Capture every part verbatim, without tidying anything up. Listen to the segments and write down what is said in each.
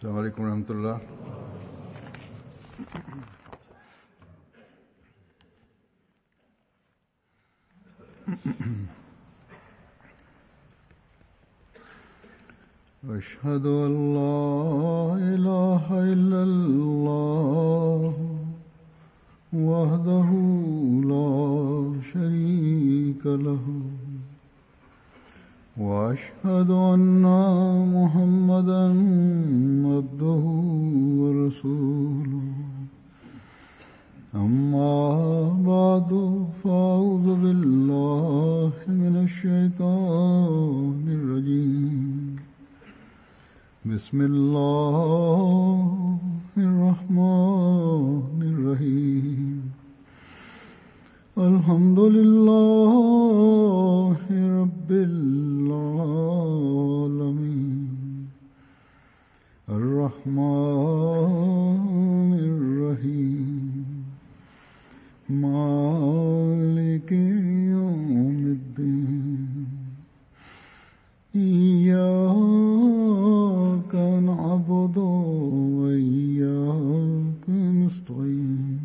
السلام عليكم ورحمة الله. أشهد أن لا إله إلا الله وحده لا شريك له وأشهد أن محمدًا عبده ورسوله أما بعد فأعوذ بالله من الشيطان الرجيم بسم الله الرحمن الرحيم الحمد لله رب العالمين الرحمن الرحيم مالك يوم الدين إياك نعبد وإياك نستعين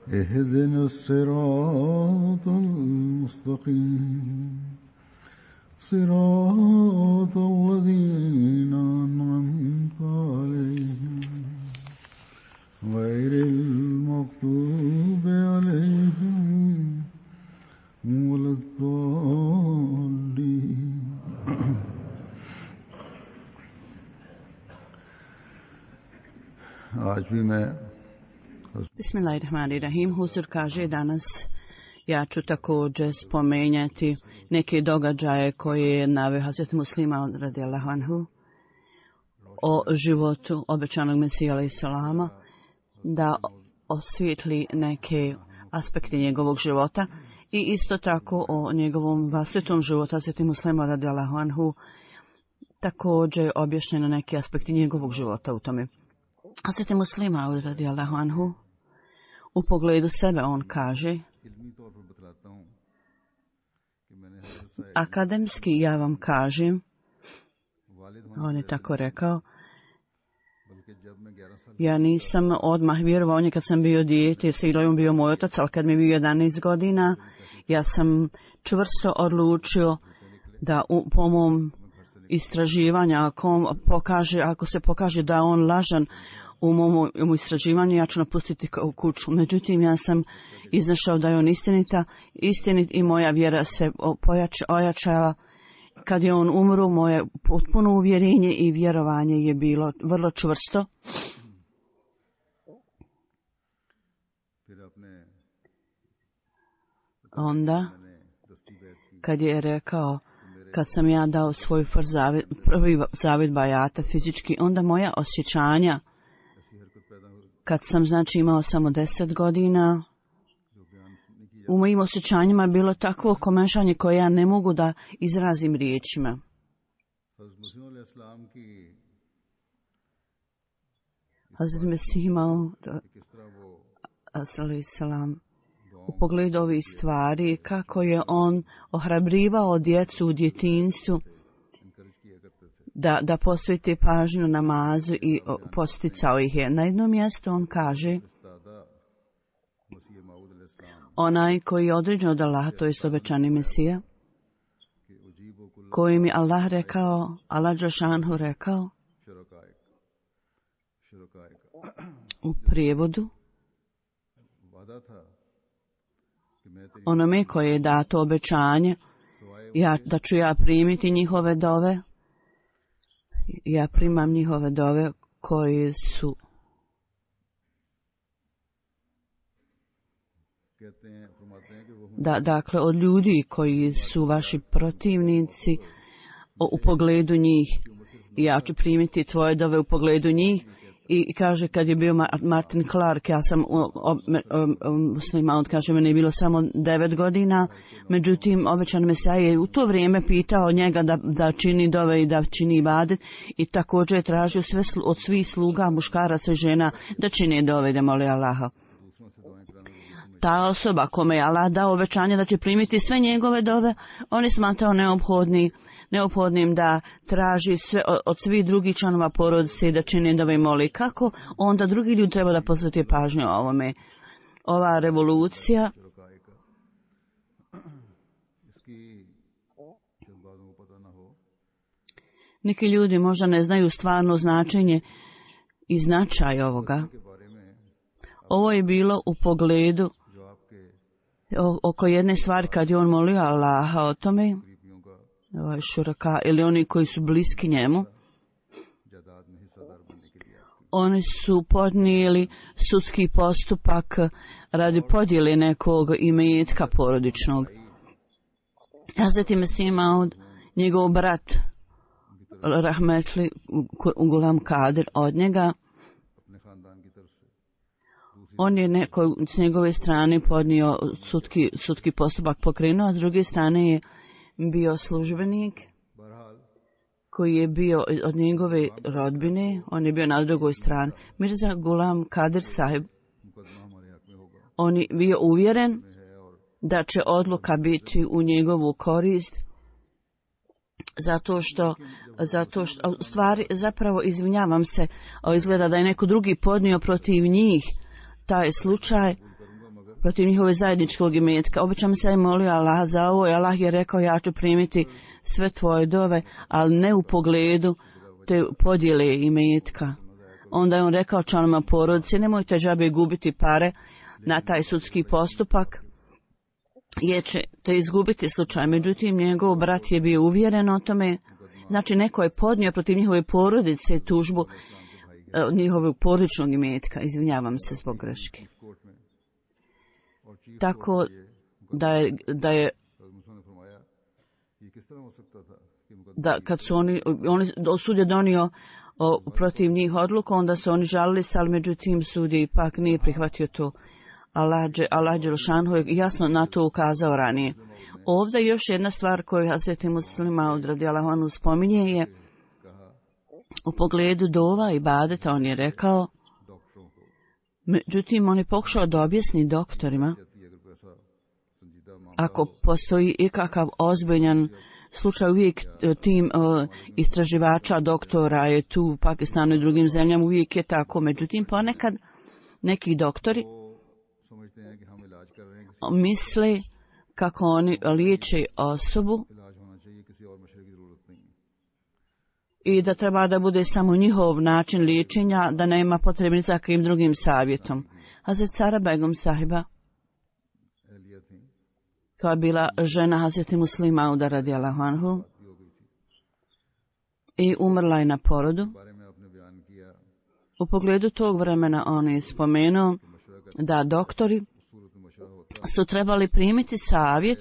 اهدنا الصراط المستقيم صراط الذين أنعمت عليهم غير المغضوب عليهم ولا الضالين. आज भी मैं Bismillahirrahmanirrahim. Huzur kaže danas ja ću također spomenjati neke događaje koje je naveo Hazreti Muslima radijallahu anhu o životu obećanog Mesija alejhi selama, da osvijetli neke aspekte njegovog života i isto tako o njegovom vlastitom životu Hazreti Muslima radijallahu anhu, također objašnjeno neki aspekti njegovog života u tome. Hazreti Muslima radijallahu anhu u pogledu sebe on kaže: akademski ja vam kažem, on je tako rekao, ja nisam odmah vjerovao, on je kad sam bio dijete, Silo je bio moj otac, ali kad mi je bio jedanaest godina, ja sam čvrsto odlučio da u, po mom istraživanja, ako, pokaže, ako se pokaže da on lažan u mom, u mom istraživanju, ja ću napustiti kuću. Međutim, ja sam iznašao da je on istinita, istinit i moja vjera se pojača, ojačala. Kad je on umro, moje potpuno uvjerenje i vjerovanje je bilo vrlo čvrsto. Onda, kad je rekao, kad sam ja dao svoj zavid, prvi zavid bajata fizički, onda moja osjećanja, kad sam znači imao samo deset godina, u mojim osjećanjima je bilo takvo komešanje koje ja ne mogu da izrazim riječima. Hazret Mesih imao alejhi selam u pogledu ovih stvari, kako je on ohrabrivao djecu u djetinjstvu da, da posveti pažnju namazu i posticao ih je. Na jednom mjestu on kaže: onaj koji je određen od Allaha, to je obećani Mesija, koji mi Allah rekao, Allah dželešanu rekao u prijevodu, onome koje je dato obećanje, ja, da ću ja primiti njihove dove, ja primam njihove dove koji su da, dakle, od ljudi koji su vaši protivnici o, u pogledu njih, ja ću primiti tvoje dove u pogledu njih. I kaže, kad je bio Martin Clark, ja sam muslima, on kaže, meni je bilo samo devet godina, međutim, obećan Mesija je u to vrijeme pitao njega da, da čini dove i da čini ibadet, i također je tražio sve, od svih sluga, muškaraca i žena, da čine dove i da mole Allaha. ta osoba kome je Allah dao obećanje da će primiti sve njegove dove, on je smatrao neophodni, neophodnim da traži sve od svih drugih članova porodice i da čini dove i moli. Kako onda drugi ljudi treba da posvete pažnju o ovome? Ova revolucija neki ljudi možda ne znaju stvarno značenje i značaj ovoga. Ovo je bilo u pogledu oko jedne stvari kad je on molio Allaha o tome, ovaj šuraka, ili oni koji su bliski njemu, oni su podnijeli sudski postupak radi podjele nekog imetka porodičnog. Hazreti Mesih Maud, njegov brat Rahmetli Gulam Kadir od njega, on je neko s njegove strane podnio sudski, sudski postupak pokrenuo, a s druge strane je bio službenik koji je bio od njegove rodbine, on je bio na drugoj strani. Mirza Gulam Kadir sahib, on je bio uvjeren da će odluka biti u njegovu korist, zato što, zato što, stvari, zapravo izvinjavam se, izgleda da je neko drugi podnio protiv njih taj slučaj, protiv njihove zajedničkog imetka. Obično se je molio Allah za ovo i Allah je rekao ja ću primiti sve tvoje dove, ali ne u pogledu te podjele imetka. Onda je on rekao članovima porodice, nemojte džabe gubiti pare na taj sudski postupak, jer ćete izgubiti slučaj. Međutim, njegov brat je bio uvjeren o tome, znači neko je podnio protiv njihove porodice tužbu njihovog porodičnog imetka, izvinjavam se zbog greške. Tako da je, da je da kad su oni, oni sud je donio o, protiv njih odluku, onda su oni žalili se, ali međutim sud je ipak nije prihvatio to. Allah Đelšanhu je jasno na to ukazao ranije. Ovdje još jedna stvar koju Hazreti Muslima Maud radijallahu anhu spominje je u pogledu dova i badeta. On je rekao, međutim on je pokušao da objasni doktorima, ako postoji ikakav ozbiljan slučaj, uvijek tim uh, istraživača, doktora je tu u Pakistanu i drugim zemljama, uvijek je tako. Međutim, ponekad neki doktori misle kako oni liječe osobu i da treba da bude samo njihov način liječenja, da nema potrebe ni za kakvim drugim savjetom. Hazret Sara Begum sahiba, koja je bila žena Hazreti Muslima Mauda radijallahu anhu i umrla je na porodu. U pogledu tog vremena on je spomenuo da doktori su trebali primiti savjet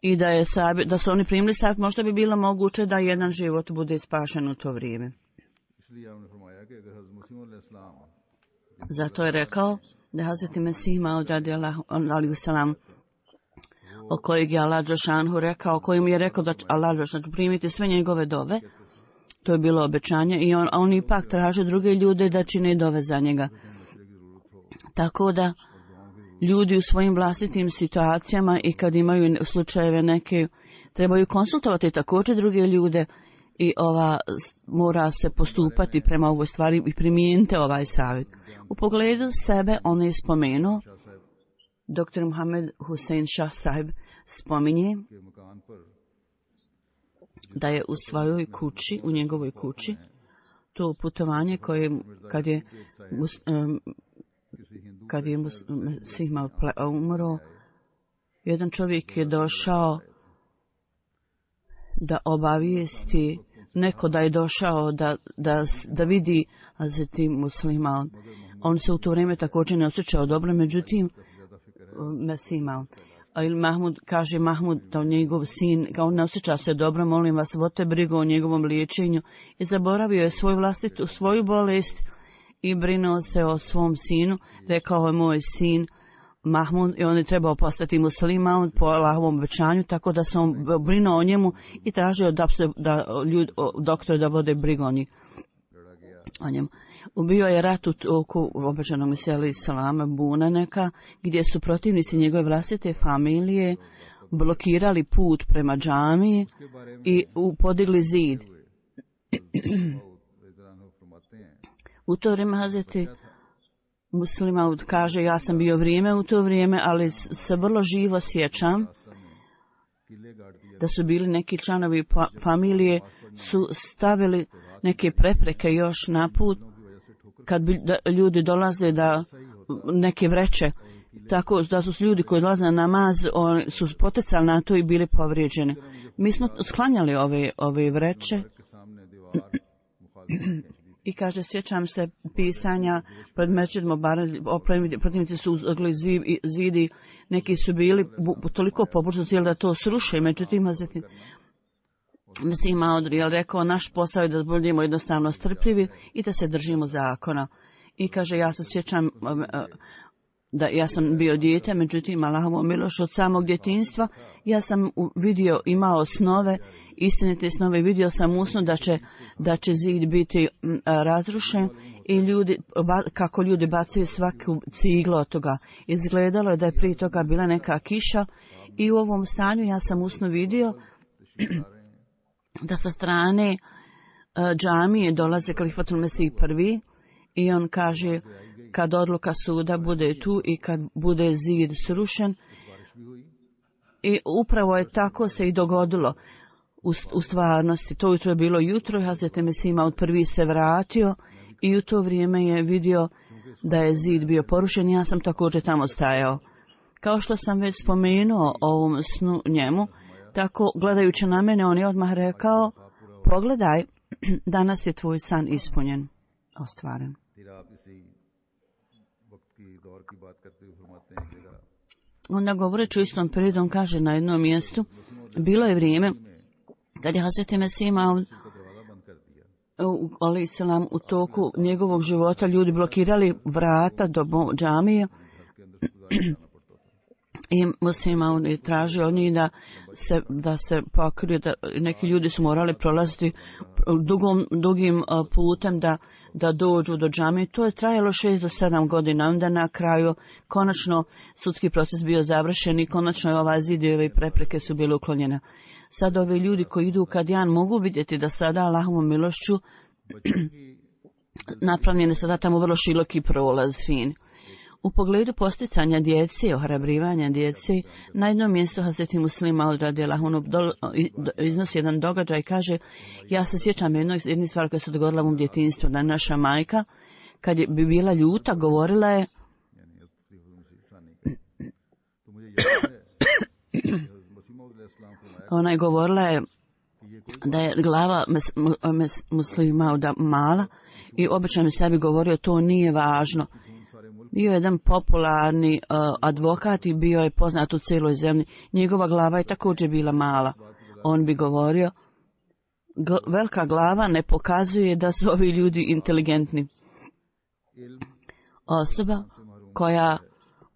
i da, je savjet, da su oni primili savjet, možda bi bilo moguće da jedan život bude spašen u to vrijeme. Zato je rekao da Hazreti Mesih Maud radijallahu anhu, o kojeg je Allah Đelšanhu rekao, kojim je rekao da Allah Đelšanhu će primiti sve njegove dove, to je bilo obećanje, i on, on ipak traže druge ljude da čine dove za njega. Tako da ljudi u svojim vlastitim situacijama i kad imaju slučajeve neke, trebaju konsultovati također druge ljude i ova mora se postupati prema ovoj stvari i primijeniti ovaj savjet. U pogledu sebe on je spomenuo, doktor Muhammed Hussein Shah sahib spominje da je u svojoj kući, u njegovoj kući, to putovanje koje kad je um, kad je Mesih Maud umro, jedan čovjek je došao da obavijesti, neko da je došao da, da, da vidi Hazreti Muslima Maud. On se u to vrijeme također ne osjećao dobro, međutim Mesih Maud. ili Mahmud, kaže Mahmud da njegov sin, kao ne osjeća se dobro, molim vas, vodite brigu o njegovom liječenju, i zaboravio je svoju vlastitu, svoju bolest i brinuo se o svom sinu. Rekao je moj sin Mahmud, i on je trebao postati musliman po Allahovom obećanju, tako da se on brinuo o njemu i tražio da, se, da ljud, doktor da vode brigu o, njih, o njemu. Ubio je rat u toku obećanog Mesija alejhi selama Bunaneka, gdje su protivnici njegove vlastite familije blokirali put prema džamiji i podigli zid. U to vrijeme Hazreti Muslima kaže, ja sam bio vrijeme u to vrijeme, ali se vrlo živo sjećam da su bili neki članovi familije su stavili neke prepreke još na put kad bi ljudi dolaze da neke vreće, tako da su ljudi koji dolaze na namaz oni su poticali na to i bili povrijeđeni. Mi smo sklanjali ove, ove vreće i kaže, sjećam se pisanja pred Mesdžidom protivnici su uzgli zidi, neki su bili toliko pobožni da to sruše, međutim Mesih Maud je rekao, naš posao je da budemo jednostavno strpljivi i da se držimo zakona. I kaže, ja se sjećam da ja sam bio dijete, međutim Allahovom milošću od samog djetinjstva ja sam vidio, imao snove, istinite snove, vidio sam usnu da će, da će zid biti razrušen i ljudi, kako ljudi bacaju svaku ciglu od toga. Izgledalo je da je prije toga bila neka kiša i u ovom stanju ja sam usnu vidio da sa strane džamije dolaze Kalifatul Mesih prvi i on kaže, kad odluka suda bude tu i kad bude zid srušen, i upravo je tako se i dogodilo u, u stvarnosti. To jutro je bilo jutro i Hazreti Mesih Maud prvi se vratio i u to vrijeme je vidio da je zid bio porušen. Ja sam također tamo stajao. Kao što sam već spomenuo o ovom snu njemu, tako gledajući na mene on je odmah rekao, pogledaj, danas je tvoj san ispunjen, ostvaren. Onda govoreći u istom periodu, on kaže na jednom mjestu, bilo je vrijeme kad je Hazreti Mesih Maud alejhi selam u toku njegovog života ljudi blokirali vrata do džamije i Mesih Maud je tražio od njih da se, da se pokriju, da neki ljudi su morali prolaziti dugom, dugim putem da, da dođu do džamije. To je trajalo šest do sedam godina. Onda na kraju konačno sudski proces bio završen i konačno je ova zid i ove prepreke su bile uklonjene. Sad ovi ljudi koji idu u Kadijan mogu vidjeti da sada Allahovom milošću napravljen je sada tamo vrlo široki prolaz, fin. U pogledu posticanja djece, ohrabrivanja djece, na jednom mjestu Hazreti Muslima Maud radijallahu anhu iznosi jedan događaj i kaže, ja se sjećam jednog, jedne stvari koja se dogodila u mom djetinjstvu, da naša majka, kad je bi bila ljuta, govorila je ona je govorila je da je glava Muslima Mauda mala i obično mi sebi govorio, to nije važno. Bio je jedan popularni uh, advokat i bio je poznat u cijeloj zemlji. Njegova glava je također bila mala. On bi govorio, velika glava ne pokazuje da su ovi ljudi inteligentni. Osoba koja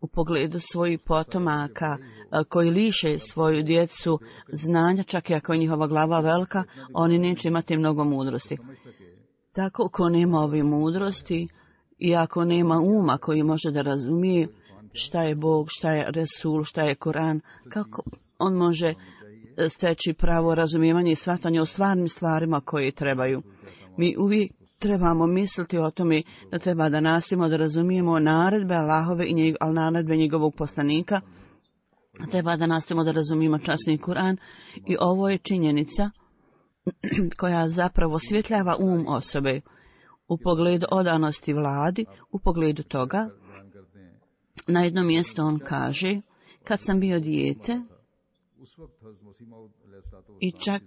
u pogledu svojih potomaka, uh, koji liše svoju djecu znanja, čak i ako je njihova glava velika, oni neće imati mnogo mudrosti. Tako ko nema ove mudrosti, i ako nema uma koji može da razumije šta je Bog, šta je Resul, šta je Koran, kako on može steći pravo razumijevanje i shvatanje o stvarnim stvarima koje trebaju. Mi uvijek trebamo misliti o tome da treba da nastojimo da razumijemo naredbe Allahove i njeg, ali naredbe njegovog poslanika. Treba da nastojimo da razumijemo časni Koran i ovo je činjenica koja zapravo osvjetljava um osobe. U pogledu odanosti vladi, u pogledu toga, na jednom mjestu on kaže, kad sam bio dijete, i čak,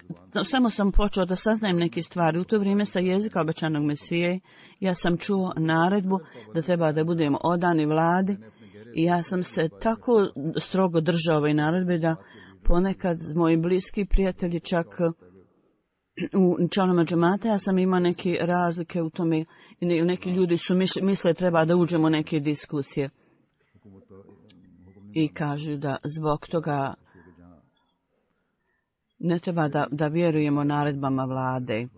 samo sam počeo da saznajem neke stvari, u to vrijeme sa jezika obećanog Mesije, ja sam čuo naredbu da treba da budemo odani vladi i ja sam se tako strogo držao ove naredbe da ponekad moji bliski prijatelji čak u članoma džemata, ja sam imao neke razlike u tome, neki ljudi su misle, misle treba da uđemo u neke diskusije i kažu da zbog toga ne treba da, da vjerujemo naredbama vlade.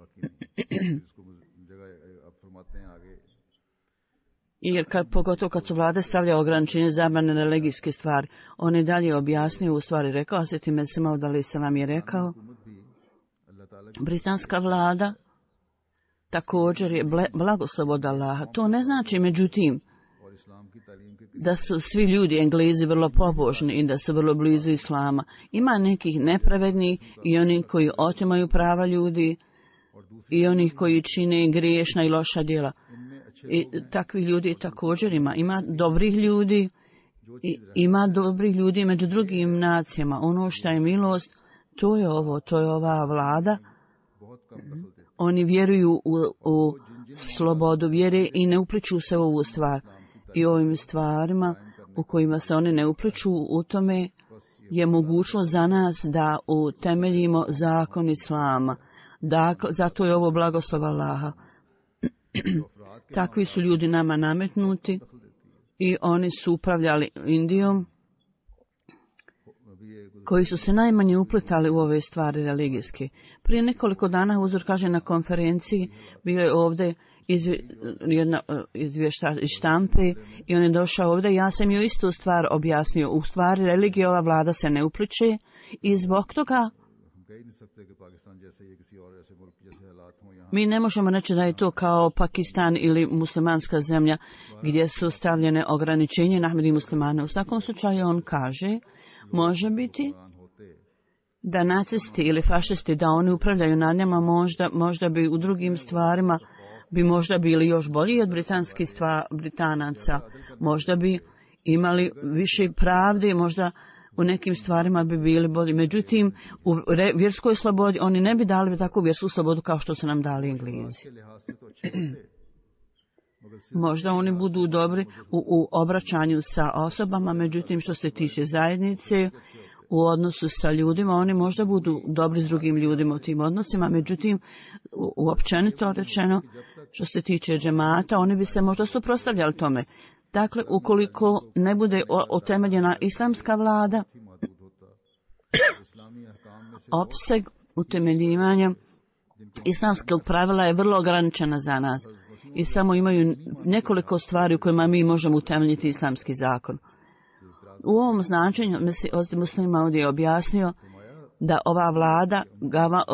Jer kad, pogotovo kad su vlade stavlja ograničenje zabrane religijske stvari, on je dalje objasnio, u stvari rekao, a Sveti Mesih Maud alejhi selam je rekao, britanska vlada također je blagoslov od Allaha. To ne znači, međutim, da su svi ljudi Englezi vrlo pobožni i da su vrlo blizu Islama. Ima nekih nepravednih i oni koji otimaju prava ljudi i onih koji čine griješna i loša djela. I takvih ljudi također ima. Ima dobrih ljudi i ima dobrih ljudi među drugim nacijama. Ono što je milost, to je ovo, to je ova vlada. Oni vjeruju u, u slobodu vjere i ne upliču se u ovu stvar. I ovim stvarima u kojima se oni ne upliču, u tome je mogućnost za nas da utemeljimo zakon Islama. Dakle, zato je ovo blagoslov Allaha. Takvi su ljudi nama nametnuti i oni su upravljali Indijom, koji su se najmanje upletali u ove stvari religijske. Prije nekoliko dana Huzur kaže na konferenciji, bio je ovdje izvje, jedna izvješta iz štampe i on je došao ovdje. Ja sam joj istu stvar objasnio. U stvari religije ova vlada se ne upliče i zbog toga mi ne možemo reći da je to kao Pakistan ili muslimanska zemlja gdje su stavljene ograničenje na Ahmedi muslimane. U svakom slučaju on kaže, može biti da nacisti ili fašisti, da oni upravljaju nad njima, možda, možda bi u drugim stvarima bi možda bili još bolji od britanskih stva, Britanaca. Možda bi imali više pravde, možda u nekim stvarima bi bili bolji. Međutim, u re, vjerskoj slobodi oni ne bi dali takvu vjersku slobodu kao što su nam dali Englezi. Možda oni budu dobri u, u obraćanju sa osobama, međutim što se tiče zajednice, u odnosu sa ljudima, oni možda budu dobri s drugim ljudima u tim odnosima, međutim, uopćenito rečeno, što se tiče džemata, oni bi se možda suprotstavljali tome. Dakle, ukoliko ne bude utemeljena islamska vlada, opseg utemeljivanja islamskog pravila je vrlo ograničena za nas i samo imaju nekoliko stvari u kojima mi možemo utemeljiti islamski zakon. U ovom značenju Muslim Maud je objasnio da ova vlada, gava,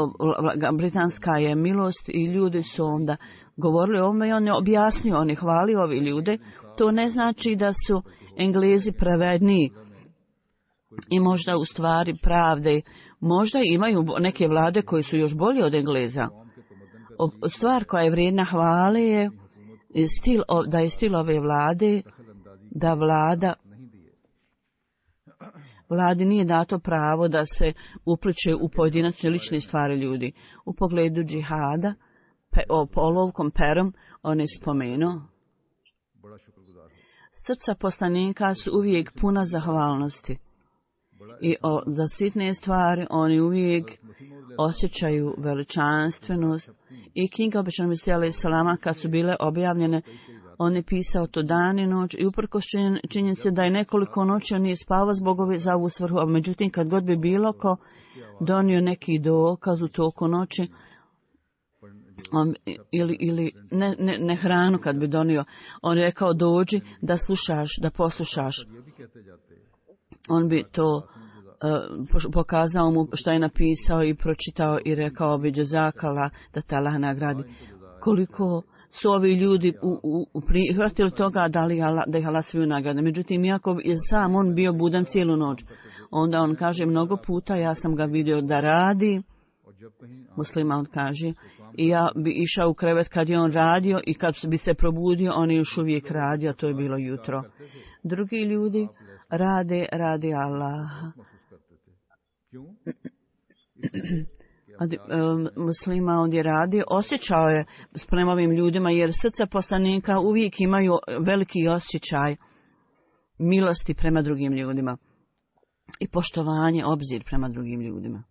britanska je milost i ljudi su onda govorili o ovome i on je objasnio, on je hvalio ovi ljude. To ne znači da su Englezi pravedniji i možda u stvari pravde. Možda imaju neke vlade koje su još bolje od Engleza. Stvar koja je vrijedna hvale je stil, da je stil ove vlade, da vlada Vladi nije dato pravo da se upliče u pojedinačne lične stvari ljudi. U pogledu džihada, pe, o olovkom perom, on je spomenuo. Srca poslanika su uvijek puna zahvalnosti. I o, za sitne stvari oni uvijek osjećaju veličanstvenost. I knjiga običan Mesija alejhi selama kad su bile objavljene, on je pisao to dan i noć i uprkos činjenice da je nekoliko noći on nije spavao zbog ove za ovu svrhu, a međutim kad god bi bilo ko donio neki dokaz u toku noći, on, ili, ili ne, ne, ne hranu kad bi donio, on je rekao dođi da slušaš, da poslušaš. On bi to uh, pokazao mu što je napisao i pročitao i rekao bi džezakala da te Allah nagradi. Koliko su ovi ljudi u, u, u prihvatili toga da, li Allah, da ih Allah sviju nagrade. Međutim, iako je sam on bio budan cijelu noć, onda on kaže mnogo puta ja sam ga vidio da radi, Muslima on kaže, i ja bi išao u krevet kad je on radio i kad bi se probudio, on je još uvijek radio, to je bilo jutro. Drugi ljudi rade, radi Allah. Muslima on je radio, osjećao je s prema ovim ljudima, jer srca poslanika uvijek imaju veliki osjećaj milosti prema drugim ljudima i poštovanje, obzir prema drugim ljudima.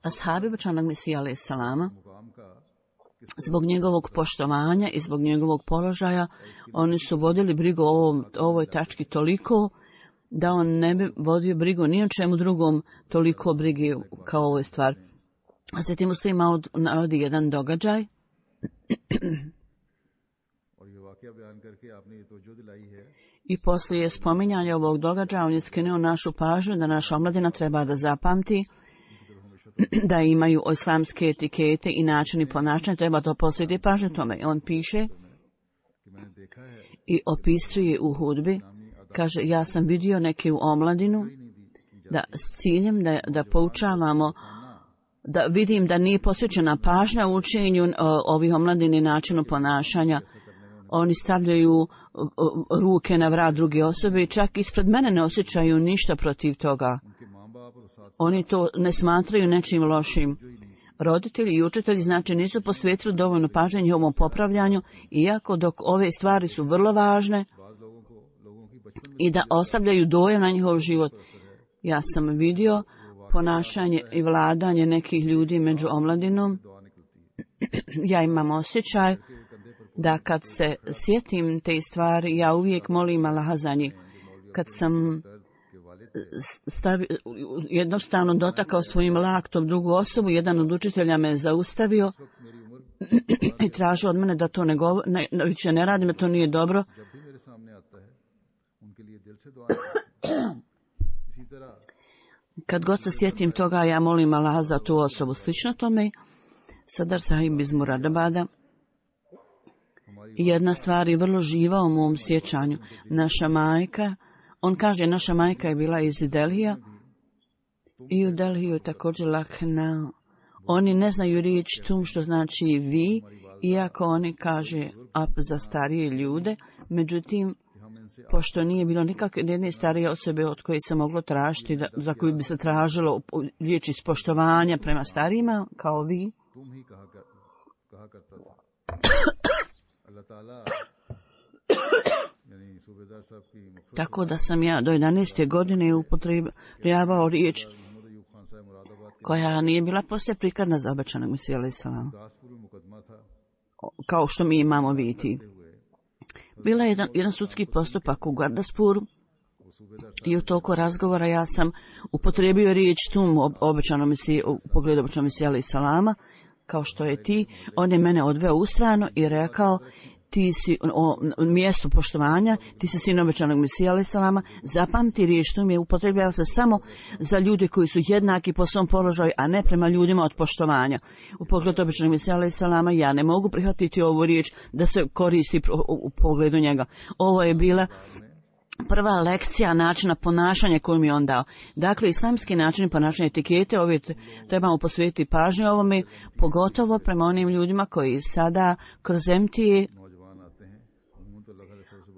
Ashabi obećanog Mesija alejhi selama, zbog njegovog poštovanja i zbog njegovog položaja, oni su vodili brigu o ovom, ovoj tački toliko da on ne bi vodio brigu ni o čemu drugom toliko brige kao ovoj stvar. Hazreti Muslim Maud navodi jedan događaj i poslije spominjanja ovog događaja on je skrenuo našu pažnju da naša omladina treba da zapamti da imaju islamske etikete i načini ponašanja, treba to posvetiti pažnju tome. On piše i opisuje u hudbi, kaže, ja sam vidio neke u omladinu da s ciljem da, da poučavamo, da vidim da nije posvećena pažnja u učenju ovih omladini načinu ponašanja. Oni stavljaju ruke na vrat druge osobe i čak ispred mene ne osjećaju ništa protiv toga. Oni to ne smatraju nečim lošim. Roditelji i učitelji znači nisu posvetili dovoljno pažnje njihovom popravljanju, iako dok ove stvari su vrlo važne i da ostavljaju dojam na njihov život. Ja sam vidio ponašanje i vladanje nekih ljudi među omladinom. Ja imam osjećaj da kad se sjetim te stvari, ja uvijek molim Allaha za njih. Kad sam stavi, jednostavno dotakao svojim laktom drugu osobu, jedan od učitelja me zaustavio i tražio od mene da to ne govor, ne, više ne radim, da to nije dobro. Kad god se sjetim toga, ja molim Allaha za tu osobu. Slično tome, Sadar Sahib iz Muradabada, jedna stvar je vrlo živa u mom sjećanju. Naša majka, on kaže, naša majka je bila iz Delhija i u Delhiju također Lakhna. Oni ne znaju riječ tum, što znači vi, iako oni kaže ap za starije ljude. Međutim, pošto nije bilo nikakve jedne starije osobe od koje se moglo tražiti, da, za koju bi se tražilo riječ ispoštovanja prema starijima, kao vi, tako da sam ja do jedanaeste godine upotrebljavao riječ koja nije bila poslije prikladna za obećanog Mesiju alejhi selam, kao što mi imamo vidjeti. Bila je jedan, jedan sudski postupak u Gardaspuru i u toku razgovora ja sam upotrebio riječ tum obećanom Mesiju, u pogledu obećanog Mesija alejhi selama, kao što je ti. On je mene odveo u stranu i rekao, ti si o, o mjestu poštovanja, ti si sin obećanog Mesija alejhi selama, zapamti riječ tum je upotrebljava se samo za ljude koji su jednaki po svom položaju, a ne prema ljudima od poštovanja. U pogledu obećanog Mesija alejhi selama ja ne mogu prihvatiti ovu riječ da se koristi u, u pogledu njega. Ovo je bila prva lekcija načina ponašanja koju mi je on dao. Dakle, islamski način ponašanja etikete, ove trebamo posvetiti pažnju ovome, pogotovo prema onim ljudima koji sada kroz M T A,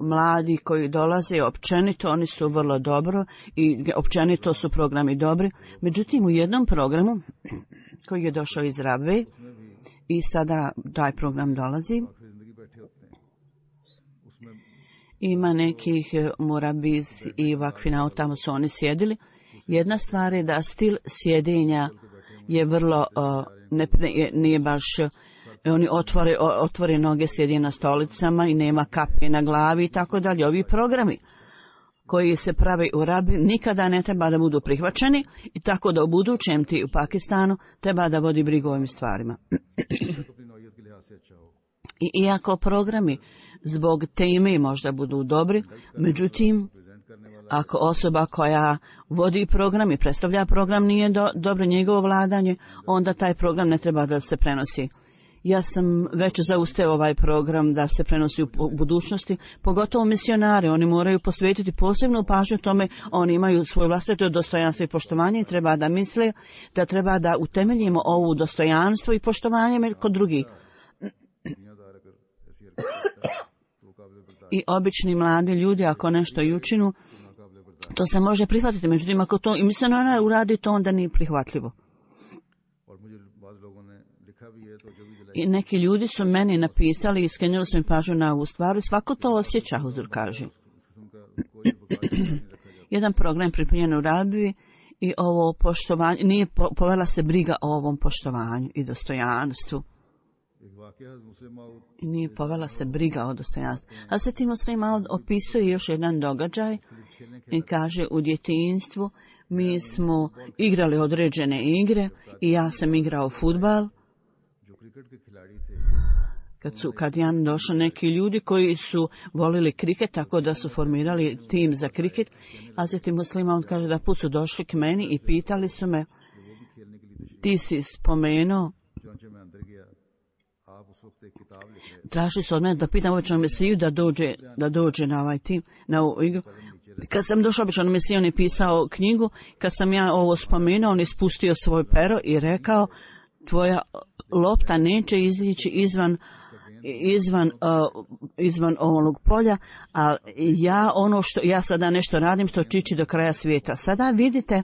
mladi koji dolaze općenito, oni su vrlo dobro i općenito su programi dobri. Međutim, u jednom programu koji je došao iz Rabve i sada taj program dolazi, ima nekih murabiz i vakfina, tamo su oni sjedili. Jedna stvar je da stil sjedenja je vrlo, uh, ne, nije baš, oni otvore, otvore noge, sjedi na stolicama i nema kape na glavi i tako dalje. Ovi programi koji se prave u Rabi nikada ne treba da budu prihvaćeni i tako da u budućem ti u Pakistanu treba da vodi brigu o ovim stvarima. I iako programi zbog teme možda budu dobri, međutim, ako osoba koja vodi program i predstavlja program nije do, dobro njegovo vladanje, onda taj program ne treba da se prenosi. Ja sam već zausteo ovaj program da se prenosi u budućnosti, pogotovo misionari, oni moraju posvetiti posebnu pažnju tome, oni imaju svoje vlastito dostojanstvo i poštovanje i treba da misle da treba da utemeljimo ovu dostojanstvo i poštovanje kod drugih. I obični mladi ljudi, ako nešto i učinu, to se može prihvatiti. Međutim, ako to i misionar uradi, to onda nije prihvatljivo. I neki ljudi su meni napisali i skrenuli su mi pažnju na ovu stvar i svako to osjeća, Huzur kaže. Jedan program pripremljen u Rabiji i ovo poštovanje, nije povela se briga o ovom poštovanju i dostojanstvu. I nije povela se briga o dostojanstvu. A se tim Muslim opisuje još jedan događaj i kaže u djetinjstvu Mi smo igrali određene igre i ja sam igrao fudbal. Kad su kad Jan došli neki ljudi koji su volili kriket, tako da su formirali tim za kriket, a zatim muslima on kaže da put su došli k meni i pitali su me, ti si spomenuo, tražili su od mene da pitam običnog mesiju da dođe, da dođe na ovaj tim, na ovu igru. Kad sam došao običnog mesiju, on je pisao knjigu, kad sam ja ovo spomenuo, on je spustio svoj pero i rekao, tvoja lopta neće izići izvan izvan uh, izvan ovog polja, a ja ono što ja sada nešto radim što čiči do kraja svijeta. Sada vidite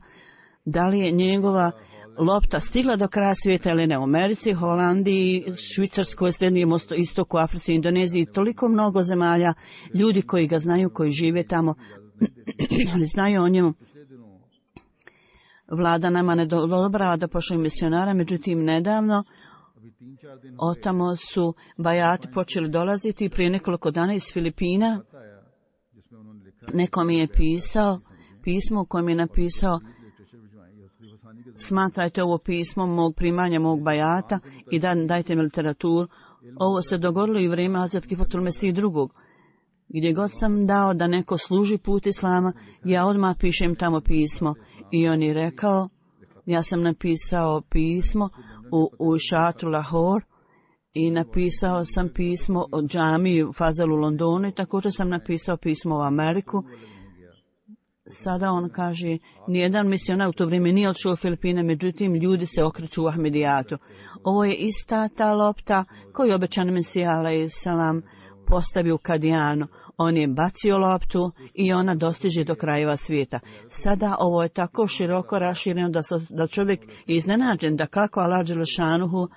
da li je njegova lopta stigla do kraja svijeta ili ne. U Americi, Holandiji, Švicarskoj, Srednjem istoku, Africi, Indoneziji, toliko mnogo zemalja, ljudi koji ga znaju, koji žive tamo, ali znaju o njemu. Vlada nama ne odobrava da pošalju misionara, međutim nedavno otamo su bajati počeli dolaziti. Prije nekoliko dana iz Filipina neko mi je pisao pismo u kojem je napisao, smatrajte ovo pismo mog primanja mog bajata i da, dajte mi literaturu. Ovo se dogodilo i u vrijeme Hazret Kifatul Mesih drugog. Gdje god sam dao da neko služi put Islama, ja odmah pišem tamo pismo. I on je rekao, ja sam napisao pismo u, u šatru Lahore i napisao sam pismo o džamiji u Fazalu u Londonu i također sam napisao pismo u Ameriku. Sada on kaže, nijedan misionar u to vrijeme nije odšao u Filipine, međutim ljudi se okreću u Ahmedijatu. Ovo je ista ta lopta koju obećani Mesija alejhi selam postavio u Kadijanu. On je bacio loptu i ona dostiže do krajeva svijeta. Sada ovo je tako široko rašireno da, da čovjek je iznenađen da kako Allah dželešanuhu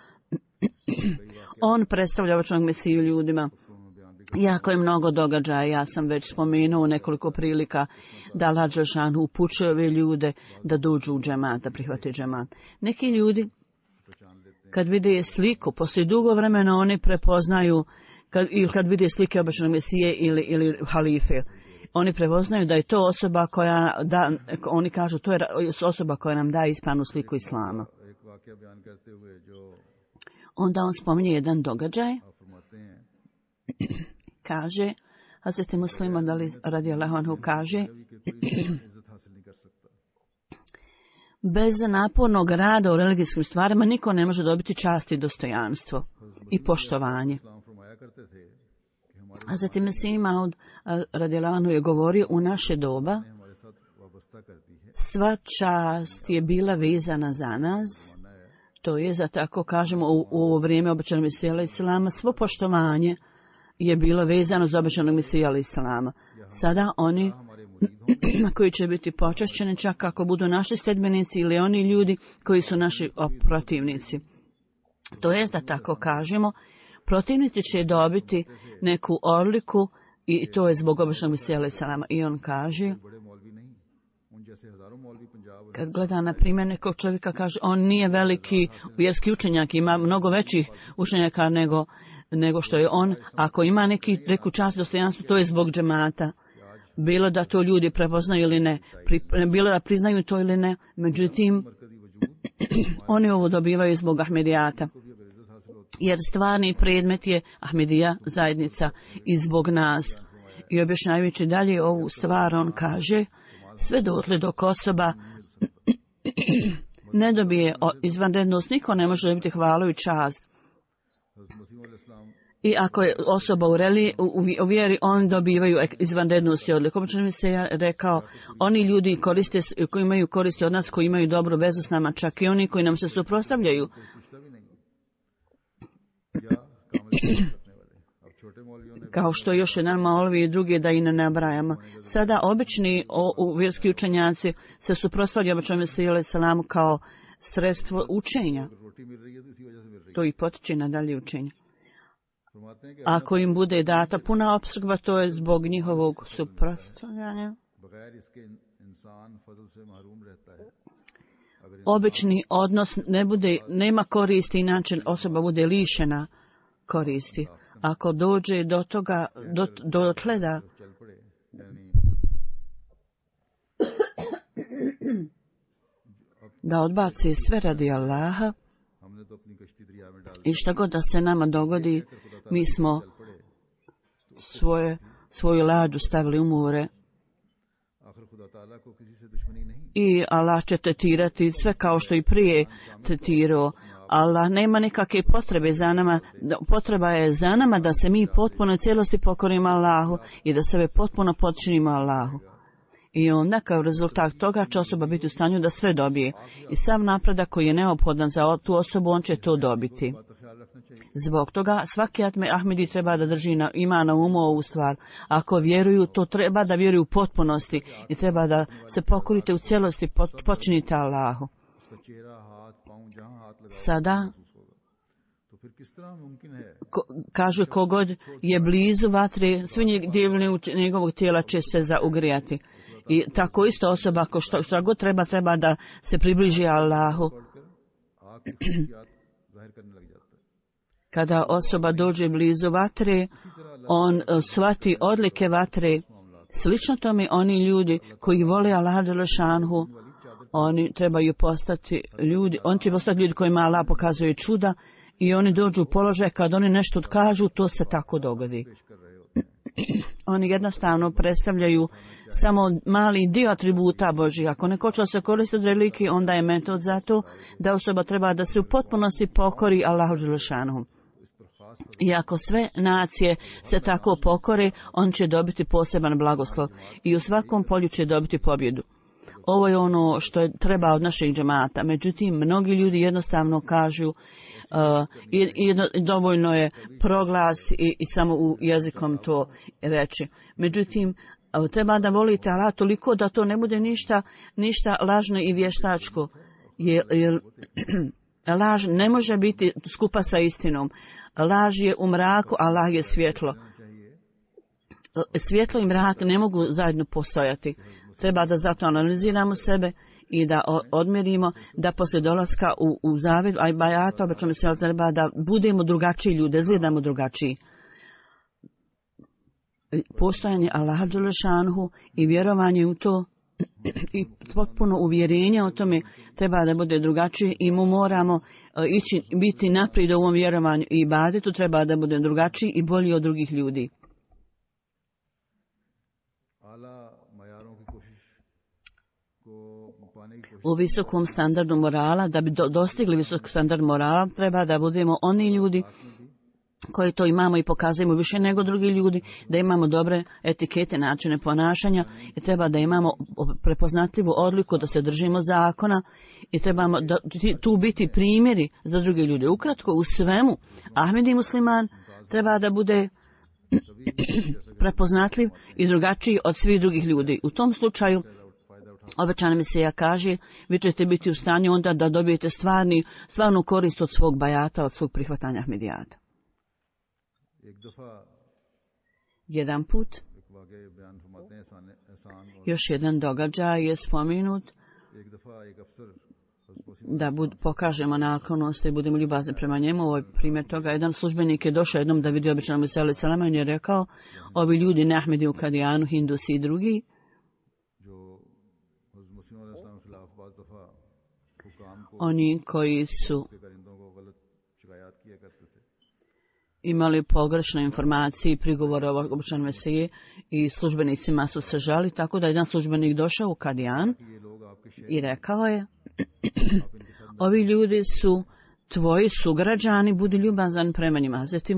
on predstavlja običnog Mesiju ljudima. Jako je mnogo događaja, ja sam već spomenuo u nekoliko prilika da Allah dželešanuhu upućuje ove ljude da dođu u džemat, da prihvate džemat. Neki ljudi kad vide sliku, poslije dugo vremena oni prepoznaju Kad, ili kad vide slike običnog Mesije ili, ili halife, oni prepoznaju da je to osoba koja, da, oni kažu, to je osoba koja nam daje ispravnu sliku Islama. Onda on spominje jedan događaj, kaže, Hazreti Muslima radijallahu anhu kaže, bez napornog rada u religijskim stvarima niko ne može dobiti čast i dostojanstvo i poštovanje. A zatim Mesih Maud radijallahu anhu je govorio, u naše doba sva čast je bila vezana za nas, to je, za tako kažemo, u, u ovo vrijeme obećanog Mesija alejhi selama, svo poštovanje je bilo vezano za obećanog Mesija alejhi selama. Sada oni koji će biti počašćeni, čak ako budu naši sledbenici ili oni ljudi koji su naši protivnici. To je, da tako kažemo, protivnici će dobiti neku odliku i to je zbog običnog Mesija alejhi selama. I on kaže, kad gleda na primjer nekog čovjeka, kaže, on nije veliki vjerski učenjak, ima mnogo većih učenjaka nego, nego što je on. Ako ima neki, neku čast dostojanstvo, to je zbog džemata. Bilo da to ljudi prepoznaju ili ne, pri, bilo da priznaju to ili ne, međutim, oni ovo dobivaju zbog Ahmedijata. Jer stvarni predmet je Ahmedija zajednica i zbog nas. I objašnjavajući dalje ovu stvar, on kaže, sve dotle dok osoba ne dobije izvanrednost, niko ne može dobiti hvalu i čast. I ako je osoba u, reli, u, u vjeri, oni dobivaju izvanrednost i odliku. Obično mi se ja rekao, oni ljudi koriste, koji imaju koristi od nas, koji imaju dobru vezu s nama, čak i oni koji nam se suprotstavljaju. Kao što još jedan maulvi i drugi, da i ne nabrajamo. Sada obični o, u vjerski učenjaci se suprotstavljaju običnom Mesiju alejhi selamu kao sredstvo učenja. To i potiče na dalje učenje. Ako im bude data puna opskrba, to je zbog njihovog suprotstavljanja. Obični odnos ne bude, nema koristi, inače osoba bude lišena koristi. Ako dođe do toga, do, do tleda, da odbaci sve radi Allaha i šta god da se nama dogodi, mi smo svoje, svoju lađu stavili u more i Allah će tretirati sve kao što i prije tretirao. Allah nema nikakve potrebe za nama, potreba je za nama da se mi potpuno cijelosti pokorimo Allahu i da sebe potpuno podčinimo Allahu. I onda kao rezultat toga će osoba biti u stanju da sve dobije. I sav napredak koji je neophodan za tu osobu, on će to dobiti. Zbog toga svaki Ahmedi treba da drži na, ima na umu ovu stvar. Ako vjeruju, to treba da vjeruju u potpunosti i treba da se pokorite u cijelosti, počinite Allahu. Sada ko, kažu kogod je blizu vatre, svi dijelovi njegovog tijela će se zaugrijati. I tako isto osoba, ako što, što god treba, treba da se približi Allahu. Kada osoba dođe blizu vatre, on shvati odlike vatre. Slično tome oni ljudi koji vole Allaha dželešanhu, oni trebaju postati ljudi, on će postati ljudi kojima Allah pokazuje čuda i oni dođu u položaj kad oni nešto kažu, to se tako dogodi. Oni jednostavno predstavljaju samo mali dio atributa Božih. Ako neko će se koristiti od religije, onda je metod za to da osoba treba da se u potpunosti pokori Allahu dželešanhu. I ako sve nacije se tako pokore, on će dobiti poseban blagoslov i u svakom polju će dobiti pobjedu. Ovo je ono što je treba od našeg džemata. Međutim, mnogi ljudi jednostavno kažu uh, i, i dovoljno je proglas i, i samo u jezikom to reći. Međutim, uh, treba da volite Allah toliko da to ne bude ništa, ništa lažno i vještačko. Jer, jer laž ne može biti skupa sa istinom. Laž je u mraku, Allah je svjetlo. Svjetlo i mrak ne mogu zajedno postojati. Treba da zato analiziramo sebe i da odmjerimo da poslije dolaska u, u zavid, a i bajata, obećamo se treba da budemo drugačiji ljudi, da izgledamo drugačiji. Postojanje Allaha dželešanhu i vjerovanje u to i potpuno uvjerenje o tome treba da bude drugačije i mu moramo ići, biti naprijed u ovom vjerovanju i ibadetu, treba da bude drugačiji i bolji od drugih ljudi. U visokom standardu morala, da bi do, dostigli visok standard morala, treba da budemo oni ljudi koji to imamo i pokazujemo više nego drugi ljudi, da imamo dobre etikete, načine ponašanja i treba da imamo prepoznatljivu odliku, da se držimo zakona i trebamo da, tu biti primjeri za druge ljude. Ukratko, u svemu, Ahmedi musliman treba da bude prepoznatljiv i drugačiji od svih drugih ljudi. U tom slučaju, obećana misija kaže, vi ćete biti u stanju onda da dobijete stvarni, stvarnu korist od svog bajata, od svog prihvatanja Ahmedijata. Jedan put, još jedan događaj je spomenut, da bud, pokažemo naklonost i budemo ljubazni prema njemu. Ovo je primjer toga. Jedan službenik je došao jednom da vidi obećana misija alaih salama i je rekao, ovi ljudi ne Ahmedi u Kadijanu, Hindusi i drugi, oni koji su imali pogrešne informacije i prigovore o obećanom Mesiji i službenicima su se žali, tako da jedan službenik došao u Kadijan i rekao je, ovi ljudi su tvoji sugrađani, budi ljubazan prema njima. Hazreti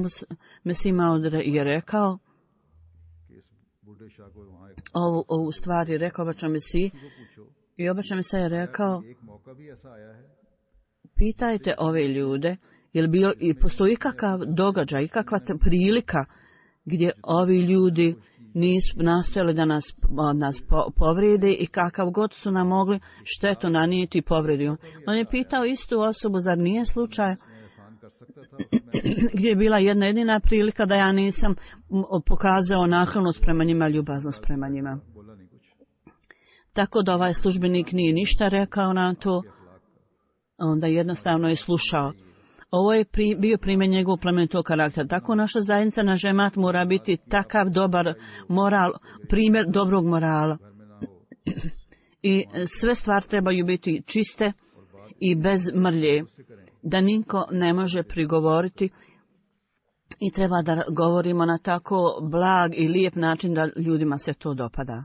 Mesih Maud je rekao, ovu, ovu stvar je rekao obećanom Mesiji i obećanom Mesiji je rekao, pitajte ove ljude, jel bio i postoji kakav događaj, kakva prilika gdje ovi ljudi nisu nastojali da nas, nas povrede i kakav god su nam mogli štetu nanijeti i povredio. On je pitao istu osobu, zar nije slučaj gdje je bila jedna jedina prilika da ja nisam pokazao naklonost prema njima, ljubaznost prema njima. Tako da ovaj službenik nije ništa rekao na to, onda jednostavno je slušao. Ovo je pri, bio primjer njegovog plemenitog karaktera. Tako naša zajednica na džemat mora biti takav dobar moral, primjer dobrog morala. I sve stvari trebaju biti čiste i bez mrlje, da niko ne može prigovoriti i treba da govorimo na tako blag i lijep način da ljudima se to dopada.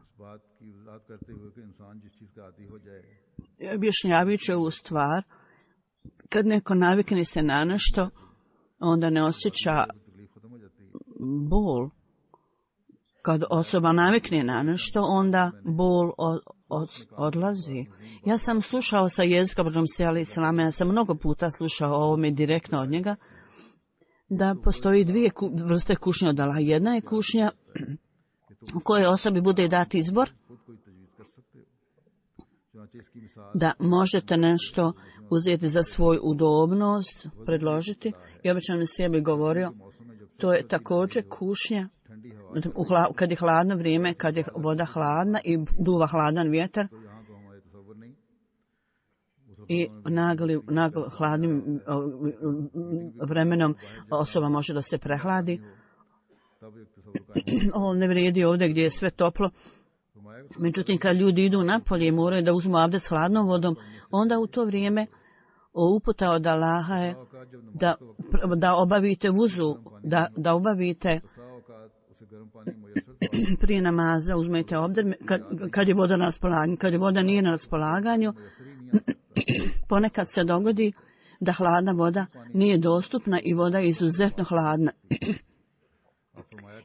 Objašnjavajući ovu stvar, kad neko navikne se na nešto, onda ne osjeća bol. Kad osoba navikne na nešto, onda bol od, od, odlazi. Ja sam slušao sa jezika Božom Sejali Islama, ja sam mnogo puta slušao o ovome direktno od njega, da postoji dvije ku, vrste kušnje od Allaha. Jedna je kušnja u kojoj osobi bude dati izbor, da možete nešto uzeti za svoju udobnost, predložiti. I obično mi sebi govorio, to je također kušnja u hla, kad je hladno vrijeme, kad je voda hladna i duva hladan vjetar i nagli, nagli hladnim vremenom osoba može da se prehladi. Ovo ne vrijedi ovdje gdje je sve toplo. Međutim, kad ljudi idu napolje i moraju da uzmu abdest s hladnom vodom, onda u to vrijeme uputa od Allaha je da, da obavite vuzu, da, da obavite prije namaza, uzmete obder, kad, kad je voda na raspolaganju. Kad je voda nije na raspolaganju, ponekad se dogodi da hladna voda nije dostupna i voda je izuzetno hladna.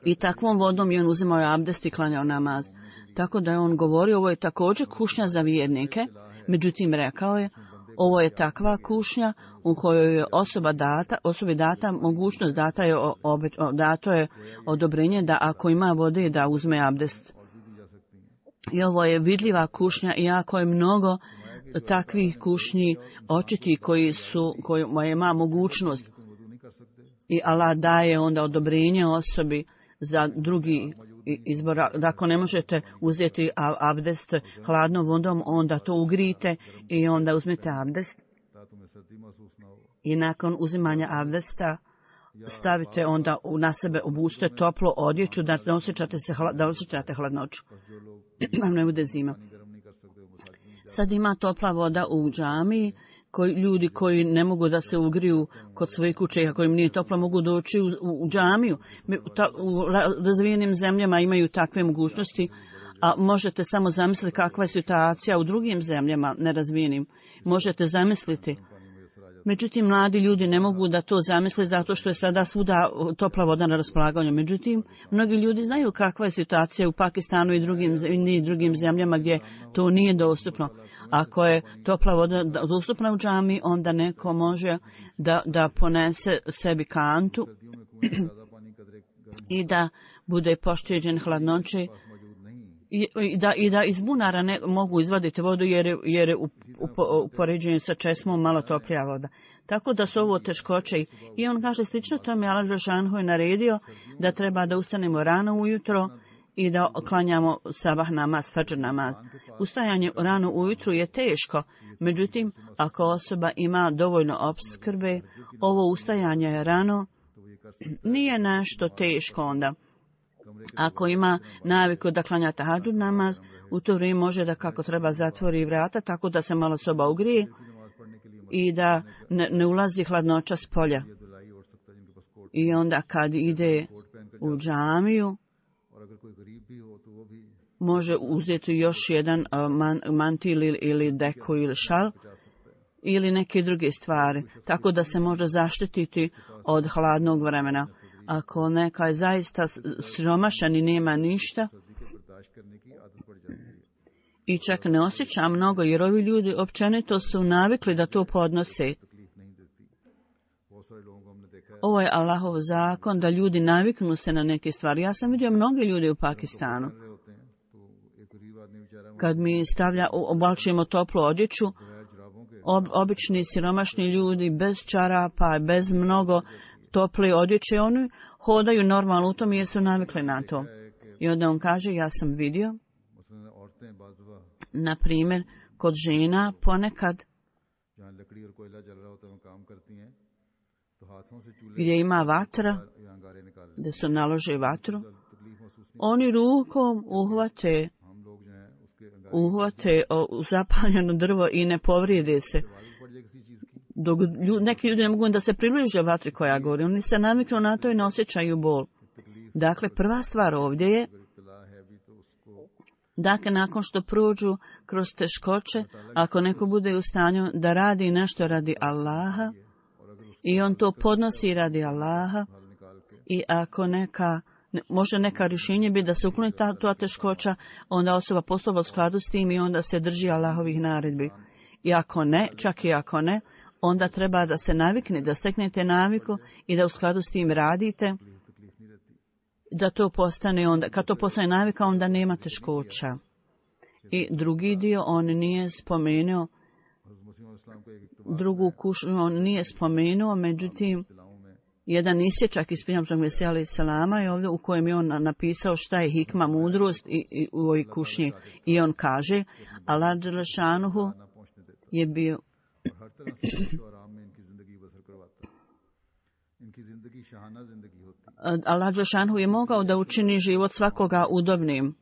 I takvom vodom je on uzimao abdest i klanjao namaz. Tako da je on govorio, ovo je također kušnja za vjernike, međutim rekao je, ovo je takva kušnja u kojoj je osoba data, osobi data mogućnost, data je, obe, dato je odobrenje da ako ima vode da uzme abdest. I ovo je vidljiva kušnja i jako je mnogo takvih kušnji očiti koji su, koji ima mogućnost. I Allah daje onda odobrenje osobi za drugi izbor. Da ako ne možete uzeti abdest hladnom vodom, onda to ugrijte i onda uzmete abdest. I nakon uzimanja abdesta stavite onda na sebe, obučite toplo odjeću da ne osjećate, se, da osjećate hladnoću. Da ne bude zima. Sad ima topla voda u džamiji. Koji, ljudi koji ne mogu da se ugriju kod svoje kuće, ako im nije toplo, mogu doći u, u, u džamiju. Ta, u razvijenim zemljama imaju takve mogućnosti, a možete samo zamisliti kakva je situacija u drugim zemljama nerazvijenim. Možete zamisliti. Međutim, mladi ljudi ne mogu da to zamisle zato što je sada svuda topla voda na raspolaganju. Međutim, mnogi ljudi znaju kakva je situacija u Pakistanu i drugim, i drugim zemljama gdje to nije dostupno. Ako je topla voda dostupna u džami, onda neko može da, da ponese sebi kantu i da bude pošteđen hladnoće i, i, da, i da iz bunara ne mogu izvaditi vodu jer je, jer je u, u, u poređenju sa česmom malo toplija voda. Tako da su ovo teškoće. I on kaže slično tome, Allah Đelešanohu je naredio da treba da ustanemo rano ujutro i da klanjamo sabah namaz, fadžr namaz. Ustajanje rano ujutru je teško, međutim, ako osoba ima dovoljno opskrbe, ovo ustajanje rano nije nešto teško onda. Ako ima naviku da klanja tahadžud namaz, u to vrijeme može da kako treba zatvori vrata, tako da se malo soba ugrije i da ne, ne ulazi hladnoća s polja. I onda kad ide u džamiju, može uzeti još jedan man, mantil ili, ili deku ili šal ili neke druge stvari, tako da se može zaštititi od hladnog vremena. Ako neka je zaista siromašan i nema ništa i čak ne osjeća mnogo, jer ovi ljudi općenito su navikli da to podnose. Ovo je Allahov zakon da ljudi naviknu se na neke stvari. Ja sam vidio mnoge ljude u Pakistanu. Kad mi stavlja, obalčujemo toplu odjeću, ob, obični siromašni ljudi bez čarapa, bez mnogo tople odjeće, oni hodaju normalno u tom jer su navikli na to. I onda on kaže, ja sam vidio, na primjer, kod žena ponekad gdje ima vatra, gdje su nalože vatru, oni rukom uhvate, uhvate o zapaljeno drvo i ne povrijede se. Dok ljud, neki ljudi ne mogu da se približe vatri koja gori, oni se naviknu na to i ne osjećaju bol. Dakle, prva stvar ovdje je, dakle, nakon što prođu kroz teškoće, ako neko bude u stanju da radi nešto radi Allaha i on to podnosi radi Allaha, i ako neka, može neka rješenje bi da se ukloni ta, ta teškoća, onda osoba postupa u skladu s tim i onda se drži Allahovih naredbi. I ako ne, čak i ako ne, onda treba da se navikne, da steknete naviku i da u skladu s tim radite, da to postane onda, kad to postane navika, onda nema teškoća. I drugi dio, on nije spomenuo, drugu kušnju on nije spomenuo, međutim, jedan isječak iz Prijamžnog Mesija alaih salama je ovdje u kojem je on napisao šta je hikma, mudrost i, i u ovoj kušnji. I on kaže, Allah dželešanuhu je bio Allah dželešanuhu je mogao da učini život svakoga udobnim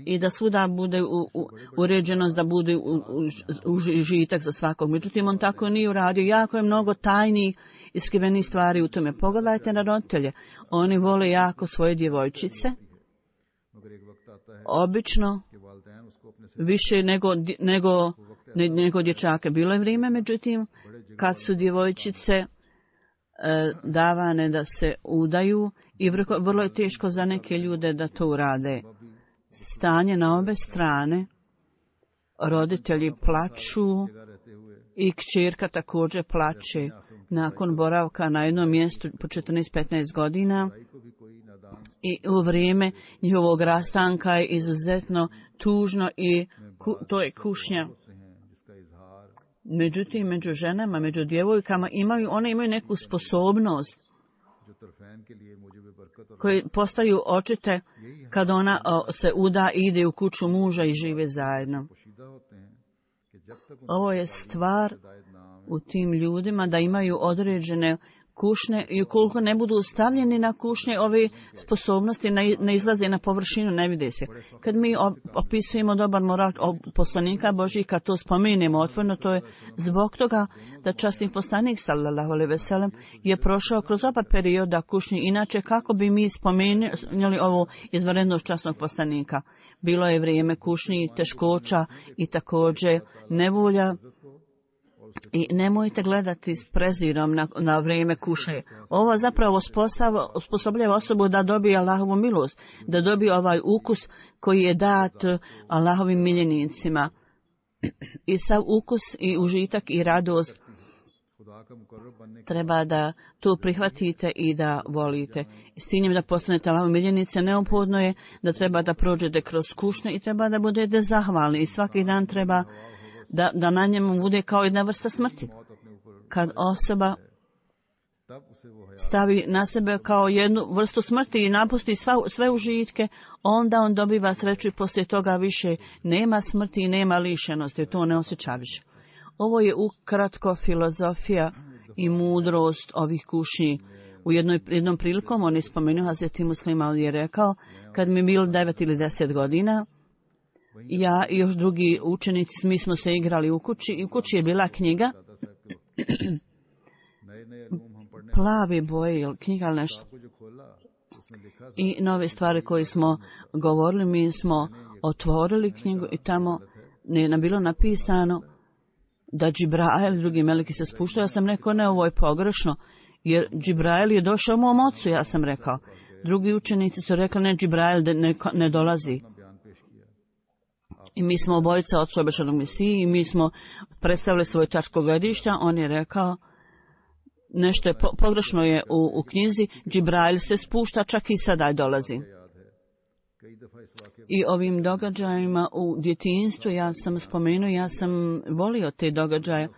i da svuda bude u, u, uređenost, da bude u, u, u žitak za svakog. Međutim, on tako nije uradio. Jako je mnogo tajnih i skrivenih stvari u tome. Pogledajte na roditelje. Oni vole jako svoje djevojčice. Obično više nego, nego, nego dječake. Bilo je vrijeme, međutim, kad su djevojčice e, davane da se udaju i vrlo, vrlo je teško za neke ljude da to urade. Stanje na obe strane, roditelji plaču i kćerka također plače nakon boravka na jednom mjestu po četrnaest petnaest godina i u vrijeme njihovog rastanka je izuzetno tužno i ku, to je kušnja. Međutim, među ženama, među djevojkama imaju, one imaju neku sposobnost koje postaju očite kad ona o, se uda i ide u kuću muža i žive zajedno. Ovo je stvar u tim ljudima da imaju određene kušnje i ukoliko ne budu stavljeni na kušnje, ove sposobnosti ne, ne izlaze na površinu, ne vide se. Kad mi opisujemo dobar moral poslanika Božih, kad to spomenemo otvoreno, to je zbog toga da časni poslanik sallallahu alejhi ve sellem je prošao kroz oba perioda kušnje. Inače, kako bi mi spomenuli ovo izvanrednost časnog poslanika? Bilo je vrijeme kušnji, teškoća i također nevolja. I nemojte gledati s prezirom na, na vrijeme kušnje. Ovo zapravo osposobljava osobu da dobije Allahovu milost, da dobije ovaj ukus koji je dat Allahovim miljenicima. I sav ukus i užitak i radost treba da to prihvatite i da volite. I s ciljem da postanete Allahovi miljenice, neophodno je da treba da prođete kroz kušnje i treba da budete zahvalni. I svaki dan treba Da, da na njemu bude kao jedna vrsta smrti. Kad osoba stavi na sebe kao jednu vrstu smrti i napusti sva, sve užitke, onda on dobiva sreću i poslije toga više nema smrti i nema lišenosti. To ne osjeća više. Ovo je ukratko filozofija i mudrost ovih kušnji. U jednoj, jednom prilikom on je spomenuo, Hazreti Muslima je rekao, kad mi je bilo devet ili deset godina, ja i još drugi učenici, mi smo se igrali u kući i u kući je bila knjiga plavi boje ili knjiga ili nešto. I nove stvari koje smo govorili, mi smo otvorili knjigu i tamo je bilo napisano da Džibrail i drugi meleki se spuštaju. Ja sam rekao, ne, ovo je pogrešno, jer Džibrail je došao mom ocu, ja sam rekao. Drugi učenici su rekli, ne, Džibrail ne, ne dolazi. I mi smo obojica od obećanog Mesiji i mi smo predstavili svoje tačko gledišta. On je rekao, nešto je po, pogrešno je u, u knjizi, Džibrail se spušta, čak i sada dolazi. I ovim događajima u djetinjstvu, ja sam spomenuo, ja sam volio te događaje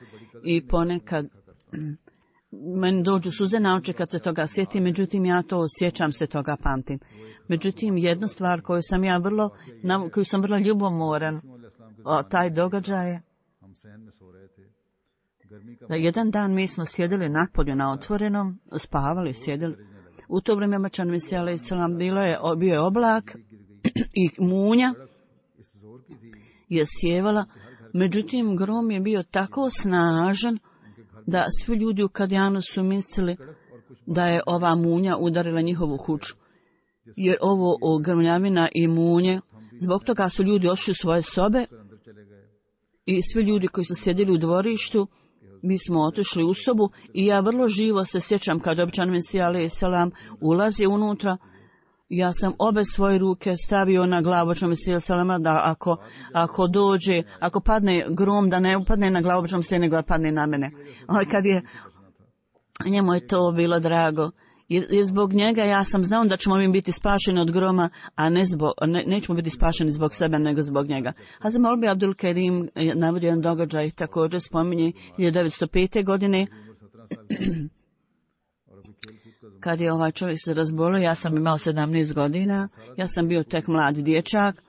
i ponekad meni dođu suze na oči kad se toga sjetim, međutim ja to sjećam se toga, pamtim. Međutim, jednu stvar koju sam ja vrlo, na koju sam vrlo ljubomoran, o, taj događaj je da jedan dan mi smo sjedili napolju na otvorenom, spavali, sjedili. U to vrijeme Mačan Mesija alaih salam bilo je, bio je oblak i munja je sjevala Međutim, grom je bio tako snažan da svi ljudi u Kadijanu su mislili da je ova munja udarila njihovu kuću. Jer ovo grmljavina i munje, zbog toga su ljudi ošli u svoje sobe i svi ljudi koji su sjedili u dvorištu, mi smo otišli u sobu i ja vrlo živo se sjećam kad običan Mesija alejhi selam ulazi unutra. Ja sam obe svoje ruke stavio na glavu običnog Mesija alejhi selama da ako, ako dođe, ako padne grom, da ne upadne na glavu običnog Mesija, nego da padne na mene. Ali kad je, njemu je to bilo drago. I zbog njega ja sam znao da ćemo mi biti spašeni od groma, a ne zbog, ne, nećemo biti spašeni zbog sebe, nego zbog njega. Hazrat Maulvi Abdul Kerim navodio jedan događaj, također spominje hiljadu devetsto pete. godine. Kad je ovaj čovjek se razbolio, ja sam imao sedamnaest godina, ja sam bio tek mladi dječak.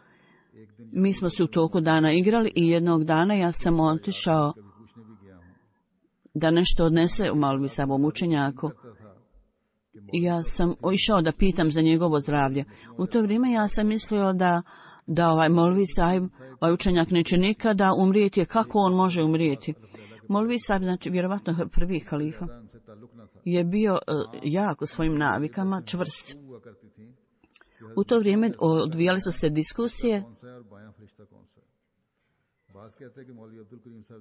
Mi smo se u toku dana igrali i jednog dana ja sam otišao da nešto odnese u Maulvi Sahabom učenjaku. I ja sam išao da pitam za njegovo zdravlje. U to vrijeme ja sam mislio da, da ovaj Maulvi Sahib, ovaj učenjak neće nikada umrijeti, jer kako on može umrijeti? Maulvi Sahib, znači vjerovatno prvi kalifa, je bio uh, jak u svojim navikama, čvrst. U to vrijeme odvijali su se diskusije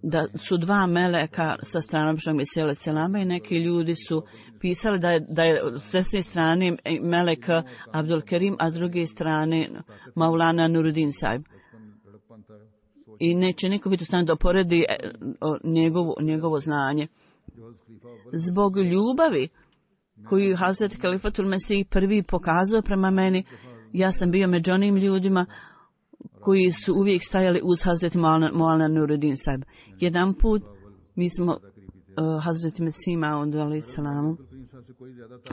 da su dva meleka sa strane običnog Mesija alejhi selama i neki ljudi su pisali da je, da je s desne strane melek Abdul Kerim, a s druge strane Maulana Nuruddin Sahib. I neće niko biti u stanju da poredi njegovo, njegovo znanje. Zbog ljubavi koju Hazret Kalifatul Mesih prvi pokazao prema meni, ja sam bio među onim ljudima koji su uvijek stajali uz Hazreti Maulana Nuruddin Sahib. Jedan put mi smo uh, Hazreti Mesih Maud alejhi selamu,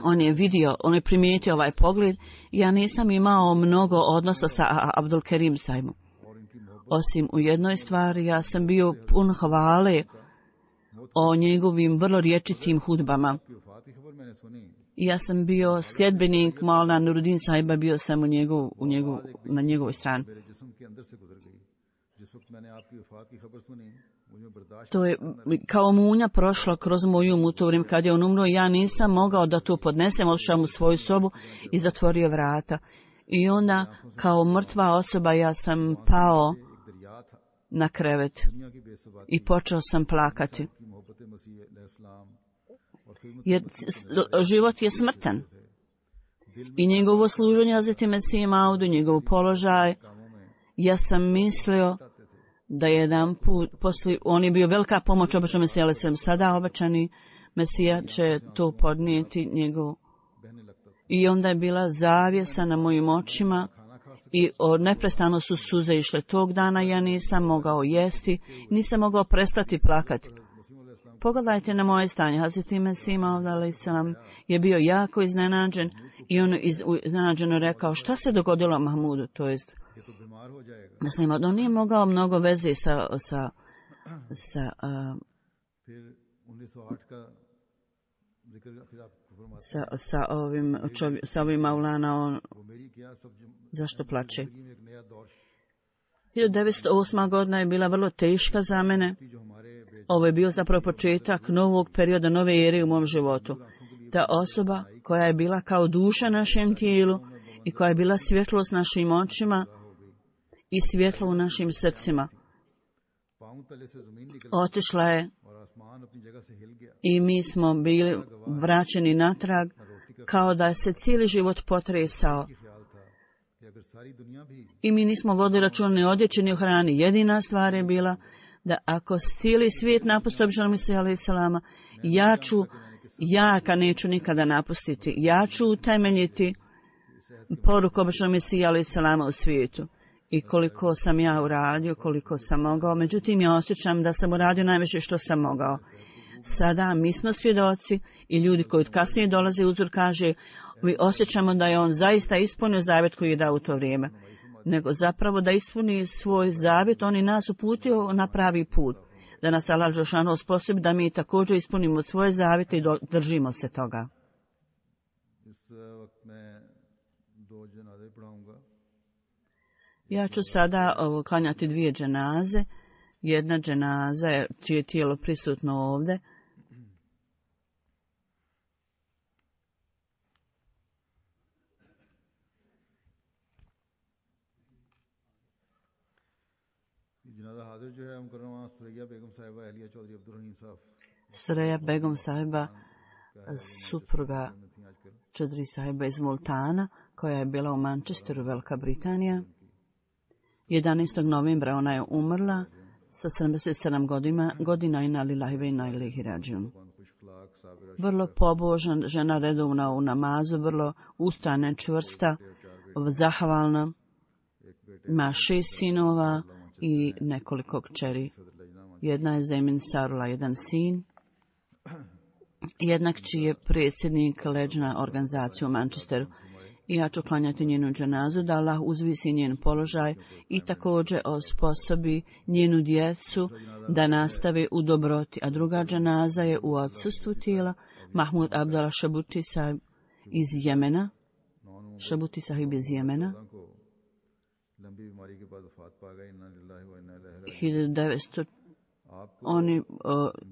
on je vidio, on je primijetio ovaj pogled i ja nisam imao mnogo odnosa sa Abdul Kerim Sahibom. Osim u jednoj stvari, ja sam bio pun hvale o njegovim vrlo rječitim hudbama. I ja sam bio sljedbenik Maulana Nuruddin Sahiba, bio sam u njegov, u njegov, na njegovoj strani. To je kao munja prošla kroz moju um u to vrijeme kad je on umro. Ja nisam mogao da to podnesem, odšao u svoju sobu i zatvorio vrata. I onda kao mrtva osoba ja sam pao na krevet i počeo sam plakati. Jer život je smrtan. I njegovo služenje Hazreti Mesiji Maudu, njegov položaj, ja sam mislio da jedan put, poslije, on je bio velika pomoć običnom Mesiji alejhi selam, sada obećani Mesija će to podnijeti njegov. I onda je bila zavjesa na mojim očima i neprestano su suze išle. Tog dana ja nisam mogao jesti, nisam mogao prestati plakati. Pogledajte na moje stanje. Hazreti Mesih Maud alejhi selam je bio jako iznenađen i on iz, iznenađeno rekao šta se dogodilo Mahmudu, to jest mislim, on nije mogao mnogo veze sa sa sa uh, sa, sa ovim čovjek, sa ovim Maulana, on zašto plače? hiljadu devetsto osma. godina je bila vrlo teška za mene. Ovo je bio zapravo početak novog perioda, nove ere u mom životu. Ta osoba koja je bila kao duša našem tijelu i koja je bila svjetlost našim očima i svjetlo u našim srcima, otišla je i mi smo bili vraćeni natrag kao da se cijeli život potresao. I mi nismo vodili računa ni o odjeći ni o hrani. Jedina stvar je bila da ako cijeli svijet napusti običnog Mesija alejhi selama, ja ću, ja ka neću nikada napustiti. Ja ću utemeljiti poruku običnog Mesija alejhi selama u svijetu. I koliko sam ja uradio, koliko sam mogao. Međutim, ja osjećam da sam uradio najviše što sam mogao. Sada mi smo svjedoci i ljudi koji kasnije dolaze uzor kaže, vi osjećamo da je on zaista ispunio zavjet koji je dao u to vrijeme. Nego zapravo da ispuni svoj zavjet, on i nas uputio na pravi put. Da nas Allah dželešanu osposobi da mi također ispunimo svoje zavjete i držimo se toga. Ja ću sada ovo, klanjati dvije dženaze. jedna dženaza je, čije tijelo prisutno ovdje. Sreja Begum sahiba, supruga Čadri sahiba iz Multana, koja je bila u Manchesteru, Velika Britanija. jedanaestog novembra ona je umrla sa sedamdeset sedam godina, godina i na lillahi ve inna ilaihi rađiun. Vrlo pobožna žena, redovna u namazu, vrlo ustrajna, čvrsta, zahvalna. Ima šest sinova i nekoliko kćeri. Jedna je Zemin Sarula, jedan sin. Jedna kći je predsjednik leđna organizacije u Manchesteru. I ja ću klanjati njenu dženazu, da Allah uzvisi njen položaj i također osposobi njenu djecu da nastave u dobroti. A druga dženaza je u odsustvu tijela, Mahmud Abdullah Shabuti sahib iz Jemena. Shabuti sahib iz Jemena. hiljadu devetsto On je, uh,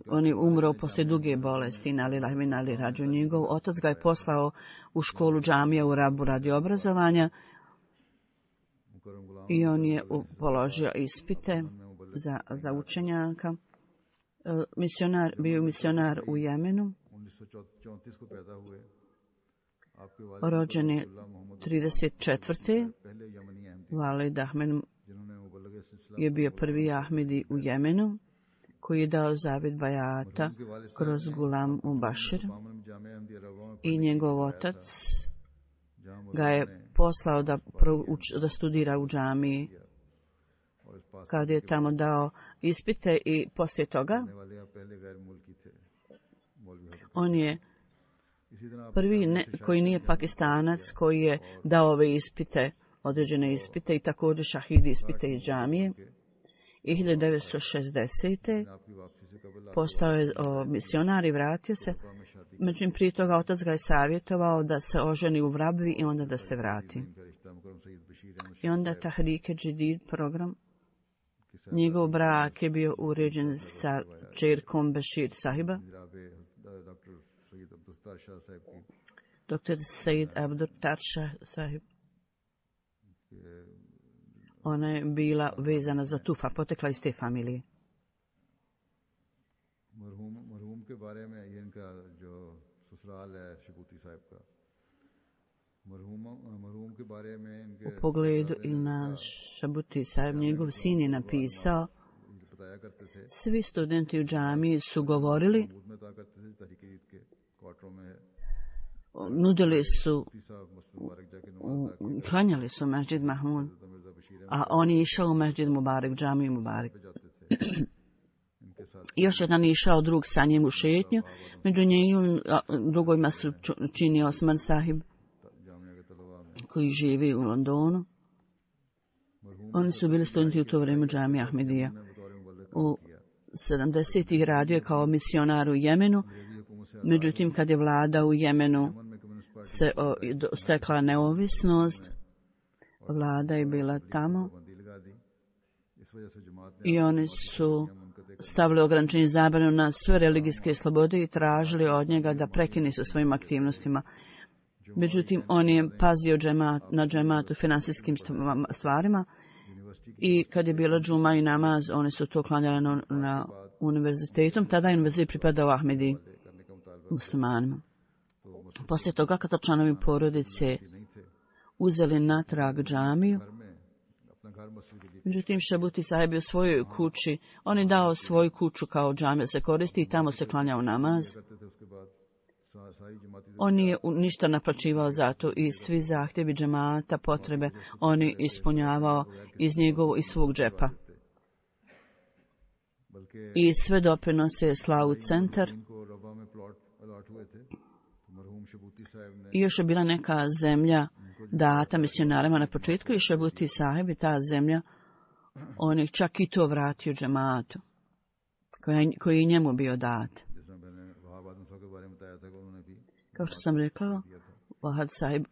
on je umro poslije duge bolesti, na lillahi ve inna ilaihi rađiun. Njegov otac ga je poslao u školu džamija u Rabu radi obrazovanja i on je položio ispite za, za učenjaka. Uh, misionar, bio misionar u Jemenu. Rođen je trideset četvrte Valid Ahmed je bio prvi Ahmedi u Jemenu koji je dao zavjet bajata kroz Gulam Mubashir i njegov otac ga je poslao da, prouč, da studira u džamiji. Kad je tamo dao ispite i poslije toga on je prvi ne, koji nije Pakistanac koji je dao ove ispite, određene ispite i također šahidi ispite iz džamije. I hiljadu devetsto šezdesete postao je o, misionar i vratio se. Međutim, prije toga otac ga je savjetovao da se oženi u Vrabvi i onda da se vrati. I onda Tahrike Jadid program. Njegov brak je bio uređen sa čerkom Bešir sahiba. doktor Said Abdur Tarša sahib. Ona je bila vezana za Tufa, potekla iz te familije. U pogledu i na Shabuti sahib, njegov sin je napisao, svi studenti u džamiji su govorili, nudili su, klanjali su Masjid Mahmud, a on je išao u Masjid Mubarak, džamiju Mubarak. Još jedan je išao drug sa njim u šetnju, među njim drugojima su čini Osman sahib, koji živi u Londonu. Oni su bili studenti u to vrijeme džamije Ahmedija. U sedamdesetih radio kao misionar u Jemenu, međutim kad je vlada u Jemenu se o, stekla neovisnost, vlada je bila tamo i oni su stavili ograničenje zabranu na sve religijske slobode i tražili od njega da prekine sa svojim aktivnostima. Međutim, on je pazio džemat, na džematu finansijskim stvarima i kad je bila džuma i namaz, oni su to klanjali na, na univerzitetom. Tada je univerzitet pripadao Ahmedi muslimanima. Poslije toga, kada članovi porodice uzeli natrag džamiju, međutim, Shabuti sahib je u svojoj kući, on je dao svoju kuću kao džamija se koristi i tamo se klanjao namaz. On nije ništa naplaćivao za to i svi zahtjevi džemata, potrebe, on je ispunjavao iz njegovog i svog džepa. I sve doprinose je slao u centar. I još je bila neka zemlja data misionarima na početku i Shabuti sahib je ta zemlja, on je čak i to vratio džematu, koji, koji je njemu bio dat. Kao što sam rekao, Wahad sahib,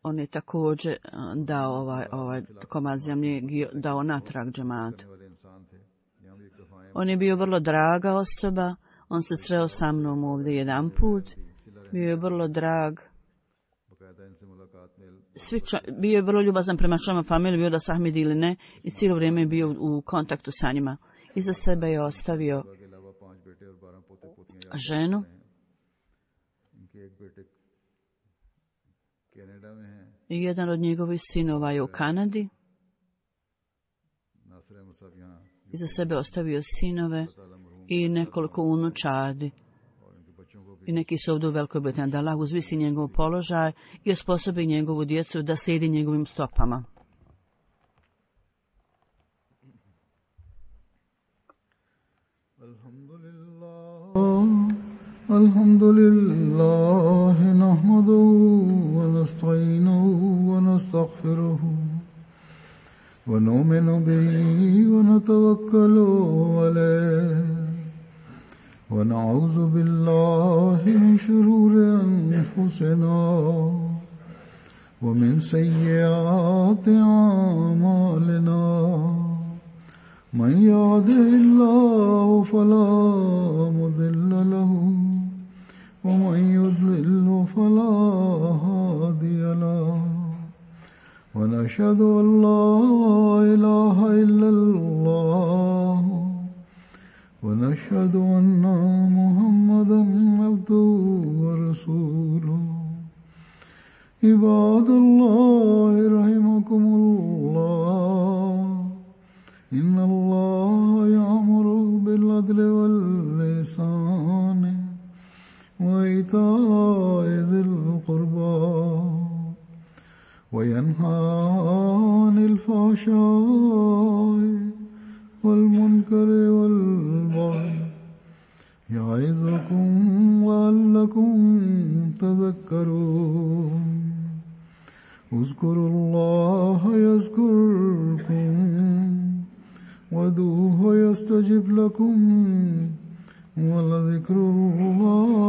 on je također dao ovaj, ovaj komad zemlje, dao natrag džematu. On je bio vrlo draga osoba. On se sreo sa mnom ovdje jedan put. Bio je vrlo drag. Svi ča, bio je vrlo ljubazan prema članima familije, bio da Sahmidi ili ne, i cijelo vrijeme je bio u kontaktu sa njima. Iza sebe je ostavio ženu i jedan od njegovih sinova je u Kanadi. Iza sebe ostavio sinove i nekoliko unučadi. I neki su ovdje u Velikoj Britaniji, da Allah uzvisi njegov položaj i osposobi njegovu djecu da slijedi njegovim stopama. Alhamdulillah, nahmaduhu wa nasta'inuhu wa nastaghfiruhu wa nu'minu bihi wa natawakkalu alayhi. ونعوذ بالله من شرور أنفسنا ومن سيئات أعمالنا من يهده الله فلا مضل له ومن يضلل فلا هادي له ونشهد أن لا إله إلا الله ونشهد أن محمدا عبده ورسوله عباد الله رحمكم الله إن الله يأمر بالعدل والإحسان وإيتاء ذي القربى وينهى عن الفحشاء والمنكر والبغي يعظكم لعلكم تذكرون اذكروا الله يذكركم وادعوه يستجب لكم ولذكر الله